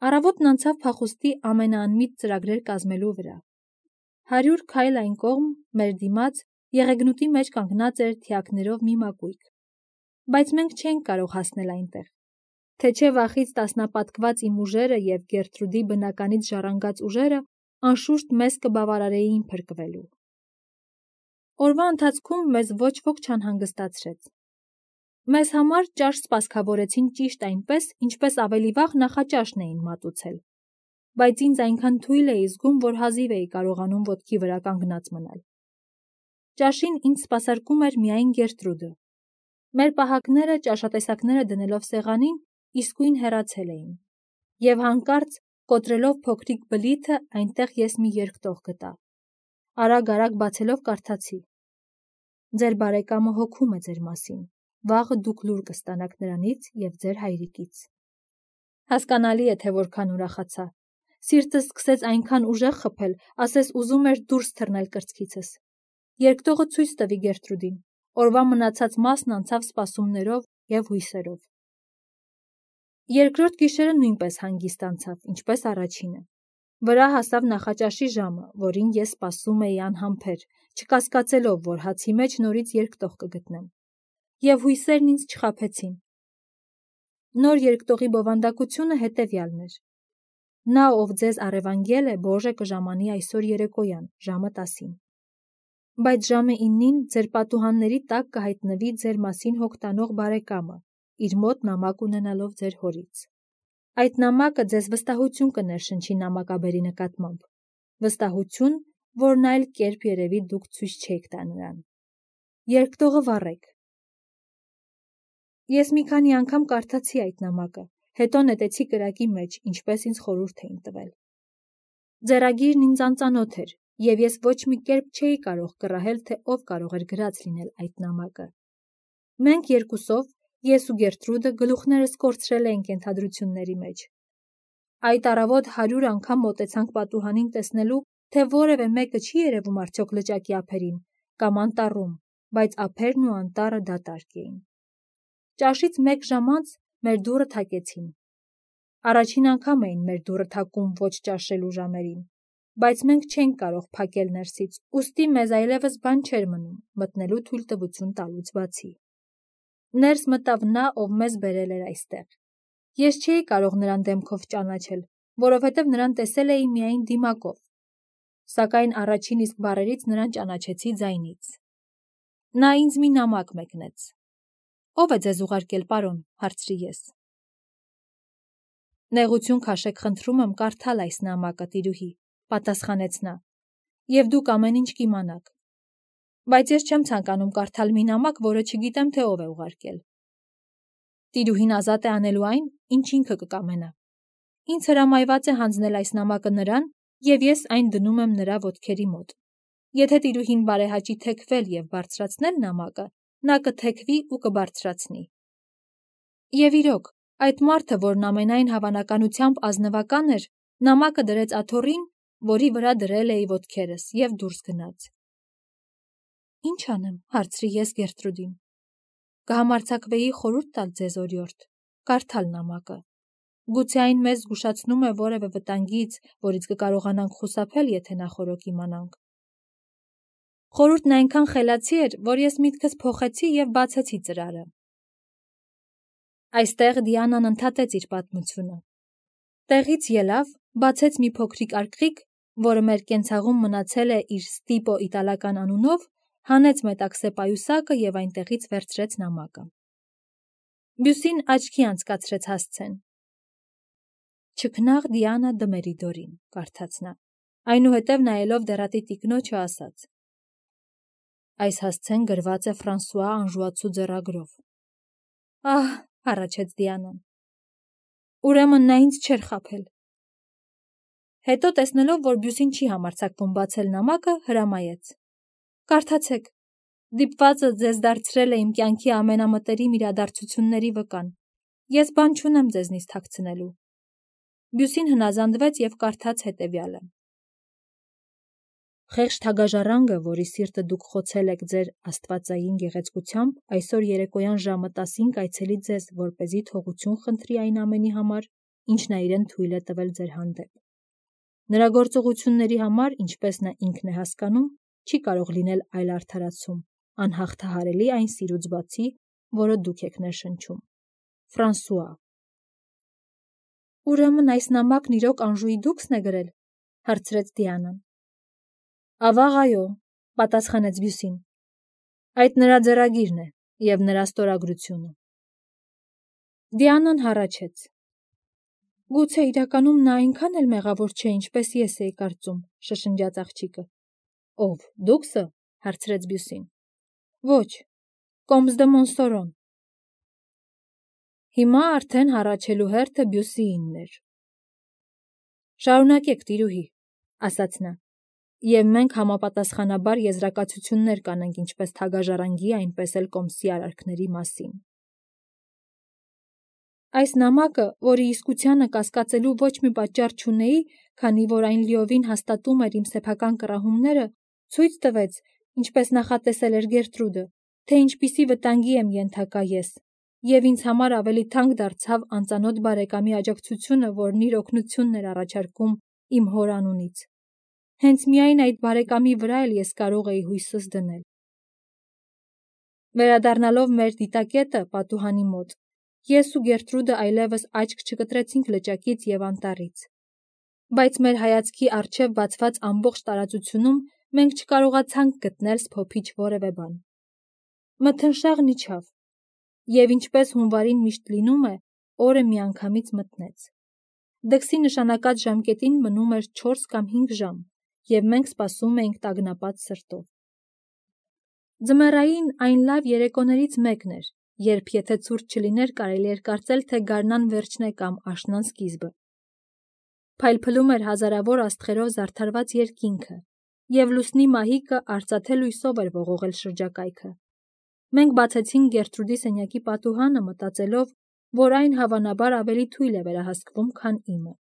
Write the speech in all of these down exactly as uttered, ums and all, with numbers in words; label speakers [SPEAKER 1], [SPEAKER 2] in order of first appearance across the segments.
[SPEAKER 1] Առավոտն անցավ փախուստի ամենաանմիտ ծրագրեր կազմելու վրա։ Հարյուր քայլ այն կողմ, մեր դիմաց, եղեգնուտի մեջ կանգնած էր թիակներով մի մակույկ։ Բայց մենք չենք կարող հասնել այնտեղ։ Թե չէ վախից տասնապատկված իմ ուժերը և Գերտրուդի բնականից ժառանգած ուժերը անշուշտ մեզ կբավարարեին փրկվելու։ Օրվա ընթացքում մեզ ոչ ոք չանհանգստացրեց։ Մեզ համար ճաշ սպասքավորեցին ճիշտ այնպես, ինչպես ավելի վաղ նախաճաշն էին մատուցել, բայց ինձ այնքան թույլ էի զգում, որ հազիվ էի կարողանում ոտքի վրա կանգնած մնալ։ Ճաշին ինձ սպասարկում էր միայն Գերտրուդը։ Մեր պահակները, ճաշատեսակները դնելով սեղանին, իսկույն հեռացել էին, և հանկարծ, կոտրելով փոքրիկ բլիթը, այնտեղ ես մի երկտող գտա։ Արագ-արագ բացելով կարդացի. «Ձեր բարեկամը հոգում է ձեր մասին, վաղը դուք լուր կստանաք նրանից և ձեր հայրիկից»։ Հասկանալի է, թե որքան ուրախացա։ Սիրտս սկսեց այնքան ուժեղ խփել, ասես ուզում էր դուրս թռնել կրծքիցս։ Երկտողը ցույց տվի Գերտրուդին։ Օրվա մնացած մասն անցավ սպասումներով և հույսերով։ Երկրորդ գիշերը նույնպես հանգիստ անցավ, ինչպես առաջինը։ Վրա հասավ նախաճաշի ժամը, որին ես սպասում էի անհամբեր, չկասկածելով, որ հացի մեջ նորից երկտող կգտնեմ։ Եվ հույսերն ինձ չխաբեցին։ Նոր երկտողի բովանդակությունը հետևյալն էր. «Նա, ով ձեզ առևանգել է, Բոժը կժամանի այսօր երեկոյան, ժամը տասին։ Բայց ժամը իննին ձեր պատուհանների տակ կհայտնվի ձեր մասին հոգ տանող բարեկամը, իր մոտ նամակ ունենալով ձեր հորից։ Այդ նամակը ձեզ վստահություն կներշնչի նամակաբերի նկատմամբ, վստահություն, որն այլ կերպ երևի դուք ցույց չէիք տա նրան։ Երկտողը վառեք»։ Ես մի քանի անգամ կարդացի այդ նամակը, հետո նետեցի կրակի մեջ, ինչպես ինձ խորհուրդ էին տվել։ Ձեռագիրն ինձ անծանոթ էր, և ես ոչ մի կերպ չէի կարող կռահել, թե ով կարող էր գրած լինել այդ նամակը։ Մենք երկուսով, ես ու Գերտրուդը, գլուխներս կորցրել էինք ենթադրությունների մեջ։ Այդ առավոտ հարյուր անգամ մոտեցանք պատուհանին տեսնելու, թե որևէ մեկը չի երևում արդյոք լճակի ափերին կամ անտառում, բայց ափերն ու անտառը դատարկ էին։ Ճաշից մեկ ժամ անց մեր դուռը թակեցին։ Առաջին անգամ էին մեր դուռը թակում ոչ ճաշելու ժամերին, բայց մենք չենք կարող փակել ներսից, ուստի մեզ այլևս բան չէր մնում մտնելու թույլտվություն տալուց բացի։ Ներս մտավ նա, ով մեզ բերել էր այստեղ։ Ես չէի կարող նրան դեմքով ճանաչել, որովհետև նրան տեսել էի միայն դիմակով, սակայն առաջին իսկ բառերից նրան ճանաչեցի ձայնից։ Նա ինձ մի նամակ մեկնեց։ «Ո՞վ է ձեզ ուղարկել, պարոն», հարցրի ես։ «Նեղություն քաշեք, խնդրում եմ կարդալ այս նամակը, տիրուհի», պատասխանեց նա, «և դուք ամեն ինչ կիմանաք։ Բայց ես չեմ ցանկանում կարդալ մի նամակ, որը չգիտեմ, թե ով է ուղարկել։ Տիրուհին ազատ է անելու այն, ինչ ինքը կկամենա։ Ինձ հրամայված է հանձնել այս նամակը նրան, և ես այն դնում եմ նրա ոտքերի մոտ։ Եթե տիրուհին բարեհաճի թեքվել և բարձրացնել նամակը, նա կթեքվի ու կբարձրացնի»։ Եվ իրոք, այդ մարդը, որն ամենայն հավանականությամբ ազնվական էր, նամակը դրեց աթոռին, որի վրա դրել էի ոտքերս, և դուրս գնաց։ «Ինչ անեմ», հարցրի ես Գերտրուդին։ «Կհամարձակվեի խորհուրդ տալ ձեզ, օրիորդ, կարդալ նամակը։ Գուցե այն մեզ զգուշացնում է որևէ վտանգից, որից կկարողանանք խուսափել, եթե նախօրոք իմանանք»։ Խորհուրդն այնքան խելացի էր, որ ես միտքս փոխեցի և բացեցի ծրարը։ Այստեղ Դիանան ընդհատեց իր պատմությունը։ Տեղից ելավ, բացեց մի փոքրիկ արկղիկ, որը մեր կենցաղում մնացել է իր Ստիպո իտալական անունով, հանեց մետաքսե պայուսակը և այնտեղից վերցրեց նամակը։ Բյուսին աչքի անցկացրեց հասցեն։ «Չքնաղ Դիանա դը Մերիդորին», կարդաց նա, այնուհետև նայելով դեռատի տիկնոջը ասաց. «Այս հասցեն գրված է Ֆրանսուଆ Անժուացու ձեռագրով»։ «Ահ», հառաչեց Դիանան, «ուրեմն նա ինձ չէր խաբել»։ Հետո, տեսնելով, որ Բյուսին չի համարձակվում բացել նամակը, հրամայեց. «Կարդացեք, դիպվածը ձեզ դարձրել է իմ կյանքի ամենամտերիմ իրադարձությունների վկան, ես բան չունեմ ձեզնից թաքցնելու»։ Բյուսին հնազանդվեց և կարդաց հետևյալը. «Խեղճ թագաժառանգը, որի սիրտը դուք խոցել եք ձեր աստվածային գեղեցկությամբ, այսօր երեկոյան ժամը տասին կայցելի ձեզ, որպեսզի թողություն խնդրի այն ամենի համար, ինչ նա իրեն թույլ է տվել ձեր հանդեպ։ Նրա գործողությունների համար, ինչպես նա ինքն է հասկանում, չի կարող լինել այլ արդարացում, անհաղթահարելի այն սիրուց բացի, որը դուք եք ներշնչում։ Ֆրանսուଆ։ Ուրեմն այս նամակն իրոք Անժուի դուքսն է գրել, հարցրեց Դիանան։ Ավաղ այո, պատասխանեց Բյուսին։ Այդ նրա ձեռագիրն է և նրա ստորագրությունը։ Դիանան հառաչեց։ Գուցե իրականում նա այնքան էլ մեղավոր չէ, ինչպես ես էի կարծում, շշնջաց աղջիկը։ Ով, դուքսը, հարցրեց Բյուսին։ Ոչ, Կոմս դե Մոնսորոն։ Հիմա արդեն հառաչելու հերթը Բյուսիինն էր։ Շարունակեք, տիրուհի, ասաց նա, և մենք համապատասխանաբար եզրակացություններ կանենք ինչպես թագաժառանգի, այնպես էլ Կոմսի արարքների մասին։ Այս նամակը, որի իսկությանը կասկածելու ոչ մի պատճառ չունեի, քանի որ այն լիովին հաստատում էր իմ սեփական կռահումները, ցույց տվեց, ինչպես նախատեսել էր Գերտրուդը, թե ինչպիսի վտանգի եմ ենթակա ես, և ինձ համար ավելի թանկ դարձավ անծանոթ բարեկամի աջակցությունը, որն իր օգնությունն էր առաջարկում իմ հոր անունից։ Հենց միայն այդ բարեկամի վրա էլ ես կարող էի հույսս դնել։ Վերադառնալով մեր դիտակետը պատուհանի մոտ, ես ու Գերտրուդը այլևս աչք չկտրեցինք լճակից և անտառից, բայց մեր հայացքի առջև բացված ամբողջ տարածությունում մենք չկարողացանք գտնել սփոփիչ որևէ բան։ Մթնշաղն իջավ, և ինչպես հունվարին միշտ լինում է, օրը միանգամից մթնեց։ Դքսի նշանակած ժամկետին մնում էր չորս կամ հինգ ժամ, և մենք սպասում էինք տագնապած սրտով։ Ձմեռային այն լավ երեկոներից մեկն էր, երբ եթե ցուրտ չլիներ, կարելի էր կարծել, թե գարնան վերջն է կամ աշնան սկիզբը։ Փայլփլում էր հազարավոր աստղերով զարդարված երկինքը, և լուսնի մահիկը արծաթե լույսով էր ողողել շրջակայքը։ Մենք բացեցինք Գերտրուդի սենյակի պատուհանը, մտածելով, որ այն հավանաբար ավելի թույլ է վերահսկվում, քան իմը։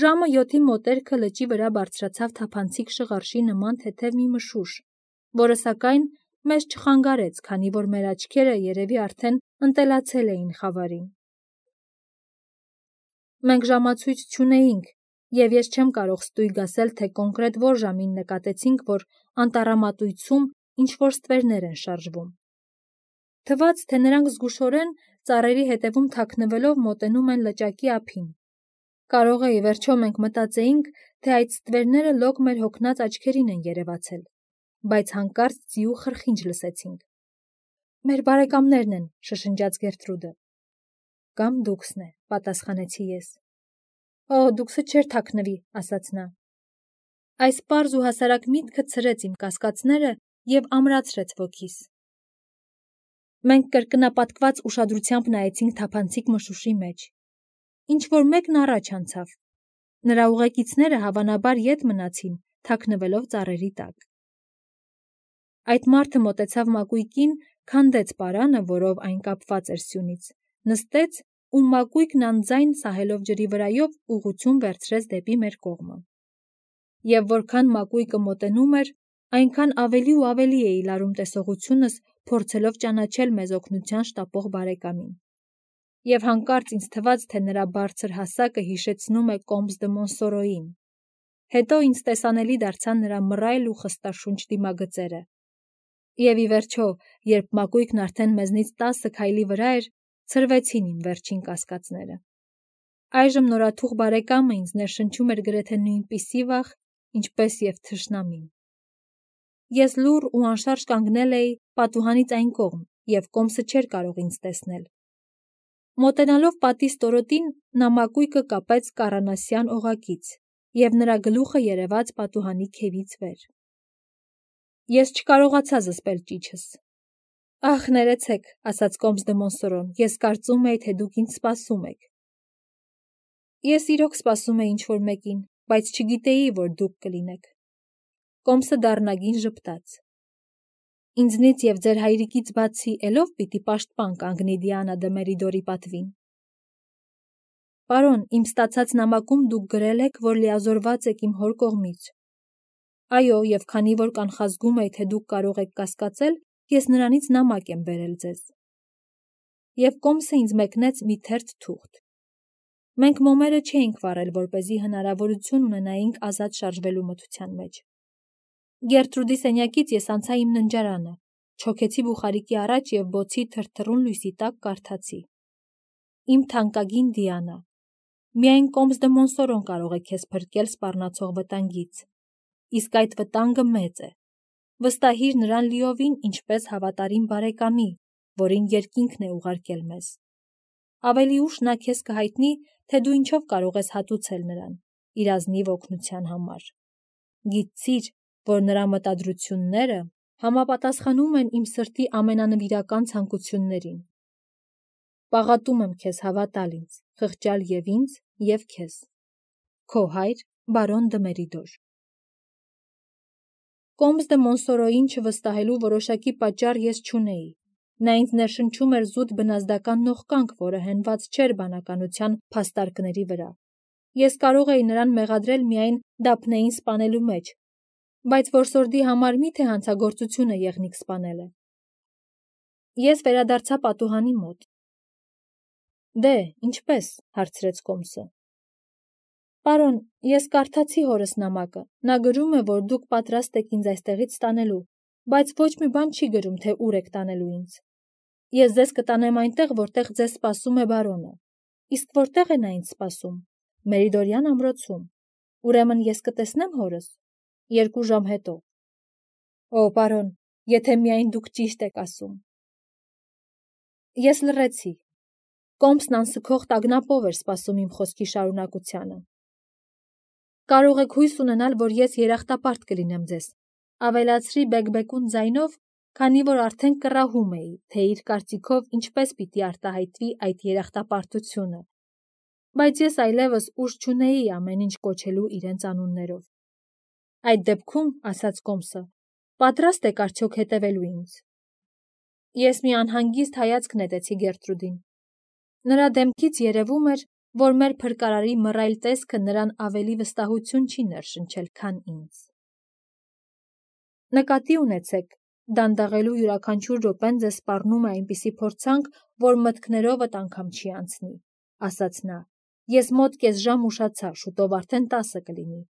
[SPEAKER 1] Ժամը յոթի մոտերքը լճի վրա բարձրացավ թափանցիկ շղարշի նման թեթև մի մշուշ, որը սակայն մեզ չխանգարեց, քանի որ մեր աչքերը երևի արդեն ընտելացել էին խավարին։ Մենք ժամացույց չունեինք, և ես չեմ կարող ստույգ ասել, թե կոնկրետ որ ժամին նկատեցինք, որ անտառամատույցում ինչ-որ ստվերներ են շարժվում։ Թվաց, թե նրանք զգուշորեն ծառերի հետևում թաքնվելով մոտենում են լճակի ափին։ Կարող է, ի վերջո մենք մտածեինք, թե այդ ստվերները լոկ մեր հոգնած աչքերին են երևացել, բայց հանկարծ ձիու խրխինջ լսեցինք։ Մեր բարեկամներն են, շշնջաց Գերտրուդը։ Կամ դուքսն է, պատասխանեցի ես։ Օ, դուքսը չէր թաքնվի, ասաց նա։ Այս պարզ ու հասարակ միտքը ցրեց իմ կասկածները և ամրացրեց ոգիս։ Մենք կրկնապատկված ուշադրությամբ նայեցինք թափանցիկ մշուշի մեջ։ Ինչ-որ մեկն առաջ անցավ։ Նրա ուղեկիցները հավանաբար ետ մնացին, թաքնվելով ծառերի տակ։ Այդ մարդը մոտեցավ մակույկին, քանդեց պարանը, որով այն կապված էր սյունից, նստեց ու մակույկն անձայն սահելով ջրի վրայով ուղղություն վերցրեց դեպի մեր կողմը։ Եվ որքան մակույկը մոտենում էր, այնքան ավելի ու ավելի էի լարում տեսողությունս, փորձելով ճանաչել մեզ օգնության շտապող բարեկամին։ Եվ հանկարծ ինձ թվաց, թե նրա բարձր հասակը հիշեցնում է Կոմս դե Մոնսորոյին։ Հետո ինձ տեսանելի դարձան նրա մռայլ ու խստաշունչ դիմագծերը։ Եվ ի վերջո, երբ մակույկն արդեն մեզնից տասը քայլի վրա էր, ցրվեցին իմ վերջին կասկածները։ Այժմ նորաթուխ բարեկամը ինձ ներշնչում էր գրեթե նույնպիսի վախ, ինչպես և թշնամին։ Ես լուռ ու անշարժ կանգնել էի պատուհանից այն կողմ, և Կոմսը չէր կարող ինձ տեսնել։ Մոտենալով պատի ստորոտին, նա մակույկը կապեց կառանասյան օղակից, և նրա գլուխը երևաց պատուհանի քևից վեր։ Ես չկարողացա զսպել ճիչս։ Ախ, ներեցեք, ասաց Կոմս դե Մոնսորոն, ես կարծում էի, թե դուք ինձ սպասում եք։ Ես իրոք սպասում էի ինչ-որ մեկին, բայց չգիտեի, որ դուք կլինեք։ Կոմսը դառնագին ժպտաց։ Ինձնից և ձեր հայրիկից բացի էլով պիտի պաշտպան կանգնի Դիանա դե Մերիդորի պատվին։ Պարոն, իմ ստացած նամակում դուք գրել եք, որ լիազորված եք իմ հոր կողմից։ Այո, և քանի որ կանխազգում էի, թե դուք կարող եք կասկածել, ես նրանից նամակ եմ բերել ձեզ։ Եվ Կոմսը ինձ մեկնեց մի թերթ թուղթ։ Մենք մոմերը չէինք վառել, որպեսզի հնարավորություն ունենայինք ազատ շարժվելու մթության մեջ։ Գերտրուդի սենյակից ես անցա իմ ննջարանը, չոքեցի բուխարիկի առաջ և բոցի թրթռուն լույսի տակ կարդացի. Իմ թանկագին Դիանա, միայն Կոմս դը Մոնսորոն կարող է քեզ փրկել սպառնացող վտանգից, իսկ այդ վտանգը մեծ է։ Վստահիր նրան լիովին ինչպես հավատարիմ բարեկամի, որին երկինքն է ուղարկել մեզ։ Ավելի ուշ նա քեզ կհայտնի, թե դու ինչով կարող ես հատուցել նրան, իր ազնիվ օգնության համար։ Գիտցիր, որ նրա մտադրությունները համապատասխանում են իմ սրտի ամենանվիրական ցանկություններին։ Պաղատում եմ քեզ հավատալ ինձ, խղճալ և ինձ, և քեզ։ Քո հայր բարոն դը Մերիդոր։ Կոմս դը Մոնսորոյին չվստահելու որոշակի պատճառ ես չունեի։ Նա ինձ ներշնչում էր զուտ բնազդական նողկանք, որը հենված չէր բանականության փաստարկների վրա։ Ես կարող էի նրան մեղադրել միայն Դափնեին սպանելու մեջ, բայց որսորդի համար մի՞թե հանցագործություն է եղնիկ սպանելը։ Ես վերադարձա պատուհանի մոտ։ Դե, ինչպե՞ս, հարցրեց Կոմսը։ Պարոն, ես կարդացի հորս նամակը, նա գրում է, որ դուք պատրաստ եք ինձ այստեղից տանելու, բայց ոչ մի բան չի գրում, թե ուր եք տանելու ինձ։ Ես ձեզ կտանեմ այնտեղ, որտեղ ձեզ սպասում է բարոնը։ Իսկ որտեղ է նա ինձ սպասում։ Մերիդորյան ամրոցում։ Ուրեմն ես կտեսնեմ հորս։ Երկու ժամ հետո։ Օ, պարոն, եթե միայն դուք ճիշտ եք ասում։ Ես լռեցի։ Կոմսն անսքող տագնապով էր սպասում իմ խոսքի շարունակությանը։ Կարող եք հույս ունենալ, որ ես երախտապարտ կլինեմ ձեզ, ավելացրի բեկբեկուն ձայնով, քանի որ արդեն կռահում էի, թե իր կարծիքով ինչպես պիտի արտահայտվի այդ երախտապարտությունը, բայց ես այլևս ուժ չունեի ամեն ինչ կոչելու իրենց անուններով։ Այդ դեպքում, ասաց Կոմսը, պատրաստ եք արդյոք հետևելու ինձ։ Ես մի անհանգիստ հայացք նետեցի Գերտրուդին։ Նրա դեմքից երևում էր, որ մեր փրկարարի մռայլ տեսքը նրան ավելի վստահություն չի ներշնչել, քան ինձ։ Նկատի ունեցեք, դանդաղելու յուրաքանչյուր րոպեն ձեզ սպառնում է այնպիսի փորձանք, որ մտքներովդ անգամ չի անցնի, ասաց նա։ Ես մոտ կես ժամ ուշացա, շուտով արդեն տասը կլինի։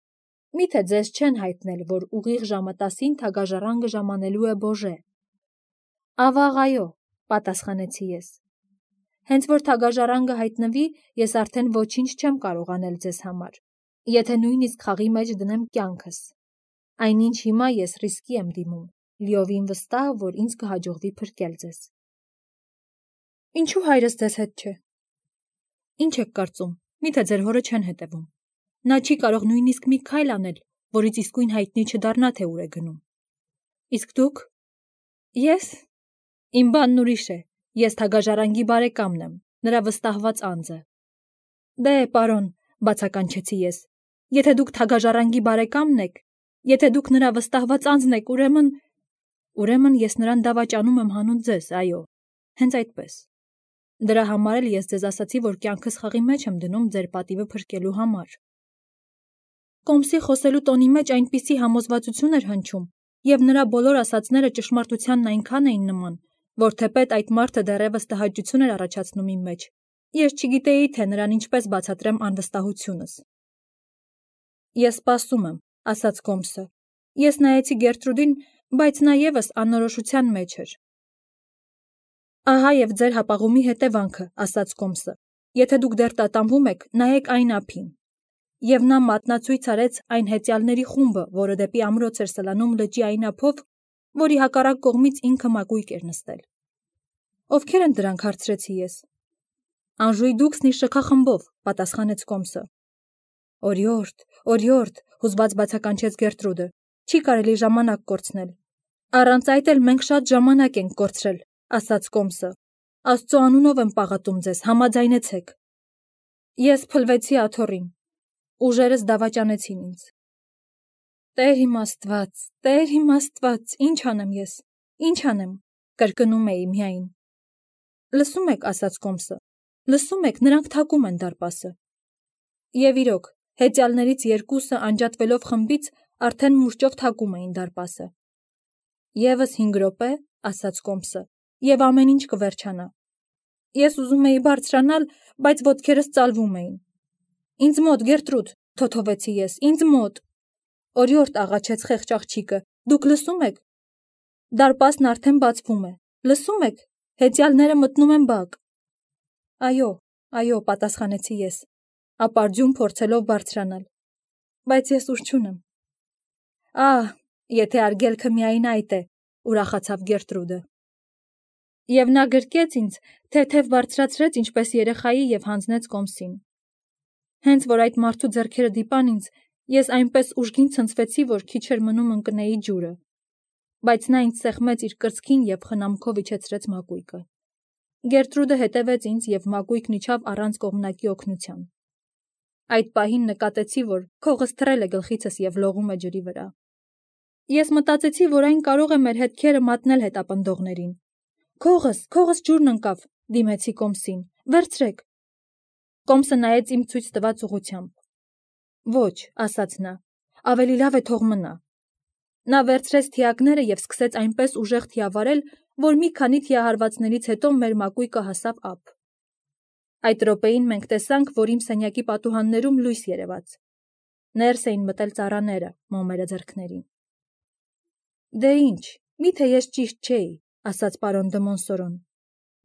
[SPEAKER 1] Միթե ձեզ չեն հայտնել, որ ուղիղ ժամը տասին թագաժառանգը ժամանելու է Բոժե։ Ավաղ, այո, պատասխանեցի ես։ Հենց որ թագաժառանգը հայտնվի, ես արդեն ոչինչ չեմ կարող անել ձեզ համար, եթե նույնիսկ խաղի մեջ դնեմ կյանքս։ Այնինչ հիմա ես ռիսկի եմ դիմում, լիովին վստահ, որ ինձ կհաջողվի փրկել ձեզ։ Ինչու հայրս ձեզ հետ չէ։ Ինչ եք կարծում, միթե ձեր հորը չեն հետևում։ Նա չի կարող նույնիսկ մի քայլ անել, որից իսկույն հայտնի չդառնա, թե ուր է գնում։ Իսկ դուք։ Ես։ Իմ բանն ուրիշ է։ Ես թագաժառանգի բարեկամն եմ, նրա վստահված անձը։ Դե, պարոն, բացականչեցի ես, եթե դուք թագաժառանգի բարեկամն եք, եթե դուք նրա վստահված անձն եք, ուրեմն… Ուրեմն ես նրան դավաճանում եմ հանուն ձեզ, այո, հենց այդպես։ Դրա համար էլ ես ձեզ ասացի, որ կյանքս խաղի մեջ եմ դնում ձեր պատիվը փրկելու համար։ Կոմսի խոսելու տոնի մեջ այնպիսի համոզվածություն էր հնչում, և նրա բոլոր ասածները ճշմարտությանն այնքան էին նման, որ թեպետ այդ մարդը դեռևս տհաճություն էր առաջացնում իմ մեջ, ես չգիտեի, թե նրան ինչպես բացատրեմ անվստահությունս։ Ես սպասում եմ, ասաց Կոմսը։ Ես նայեցի Գերտրուդին, բայց նա ևս անորոշության մեջ էր։ Ահա և ձեր հապաղումի հետևանքը, ասաց Կոմսը։ Եթե դուք դեռ տատանվում եք, նայեք այն ափին։ Եվ նա մատնացույց արեց այն հեծյալների խումբը, որը դեպի ամրոց էր սլանում լճի այն ափով, որի հակառակ կողմից ինքը մակույկ էր նստել։ Ովքեր են դրանք, հարցրեցի ես։ Անժույդուքսն իր շքախմբով, պատասխանեց Կոմսը։ Օրիորդ, օրիորդ, հուզված բացականչեց Գերտրուդը, չի կարելի ժամանակ կորցնել։ Առանց այդ էլ մենք շատ ժամանակ ենք կորցրել, ասաց Կոմսը։ Աստծո անունով եմ պաղատում ձեզ, համաձայնեցեք։ Ես փլվեցի աթոռին։ Ուժերս դավաճանեցին ինձ։ Տեր իմ Աստված, Տեր իմ Աստված, ինչ անեմ ես, ինչ անեմ, կրկնում էի միայն։ Լսում եք, ասաց Կոմսը, լսում եք, նրանք թակում են դարպասը։ Եվ իրոք, հեծյալներից երկուսը անջատվելով խմբից արդեն մուրճով թակում էին դարպասը։ Եվս հինգ րոպե, ասաց Կոմսը, և ամեն ինչ կվերջանա։ Ես ուզում էի բարձրանալ, բայց ոտքերս ծալվում էին, Ինձ մոտ, Գերտրուդ, թոթովեցի ես, ինձ մոտ։ Օրիորդ աղաչեց խեղճ աղջիկը, դուք լսում եք։ Դարպասն արդեն բացվում է, լսում եք, հեծյալները մտնում են բակ։ Այո, այո, պատասխանեցի ես, ապարդյուն փորձելով բարձրանալ, բայց ես ուժ չունեմ։ Ահ, եթե արգելքը միայն այդ է, ուրախացավ Գերտրուդը։ Եվ նա գրկեց ինձ, թեթև բարձրացրեց ինչպես երեխայի և հանձնեց կոմսին։ Հենց որ այդ մարդու ձեռքերը դիպան ինձ, ես այնպես ուժգին ցնցվեցի, որ քիչ էր մնում ընկնեի ջուրը, բայց նա ինձ սեղմեց իր կրծքին և խնամքով իջեցրեց մակույկը։ Գերտրուդը հետևեց ինձ և մակույկն իջավ առանց կողմնակի օգնության։ Այդ պահին նկատեցի, որ քողս թռել է գլխիցս և լողում է ջրի վրա։ Ես մտածեցի, որ այն կարող է մեր հետքերը մատնել հետապնդողներին։ Քողս, քողս ջուրն ընկավ, դիմեցի կոմսին, վերցրեք։ Կոմսը նայեց իմ ցույց տված ուղղությամբ։ Ոչ, ասաց նա, ավելի լավ է թող մնա։ Նա վերցրեց թիակները և սկսեց այնպես ուժեղ թիավարել, որ մի քանի թիահարվածներից հետո մեր մակույկը հասավ ափ։ Այդ րոպեին մենք տեսանք, որ իմ սենյակի պատուհաններում լույս երևաց։ Ներս էին մտել ծառաները, մոմերը ձեռքներին։ Դե ինչ, միթե ես ճիշտ չէի, ասաց պարոն դը Մոնսորոն։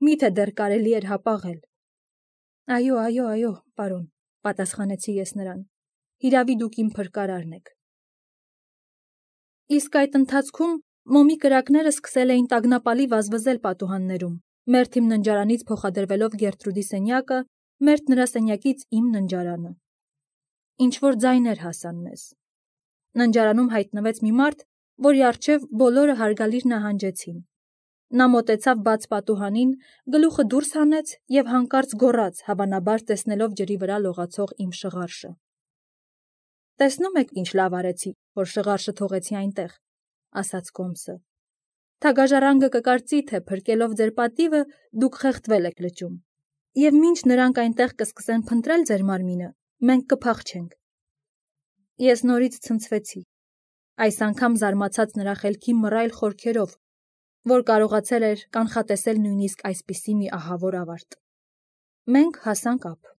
[SPEAKER 1] Միթե դեռ կարելի էր հապաղել։ Այո, այո, այո, պարոն, պատասխանեցի ես նրան։ Հիրավի դուք իմ փրկարարն եք։ Իսկ այդ ընթացքում մոմի կրակները սկսել էին տագնապալի վազվզել պատուհաններում, մերթ իմ ննջարանից փոխադրվելով Գերտրուդի սենյակը, մերթ նրա սենյակից իմ ննջարանը։ Ինչ-որ ձայներ հասան մեզ։ Ննջարանում հայտնվեց մի մարդ, որի առջև բոլորը հարգալիր նահանջեցին։ Նա մոտեցավ բաց պատուհանին, գլուխը դուրս հանեց և հանկարծ գոռաց, հավանաբար տեսնելով ջրի վրա լողացող իմ շղարշը։ Տեսնում եք, ինչ լավ արեցի, որ շղարշը թողեցի այնտեղ, ասաց կոմսը։ Թագաժառանգը կկարծի, թե փրկելով ձեր պատիվը դուք խեղդվել եք լճում, և մինչ նրանք այնտեղ կսկսեն փնտրել ձեր մարմինը, մենք կփախչենք։ Ես նորից ցնցվեցի, այս անգամ զարմացած նրա խելքի մռայլ խորքերով, որ կարողացել էր կանխատեսել նույնիսկ այսպիսի մի ահավոր ավարտ։ Մենք հասանք ափ։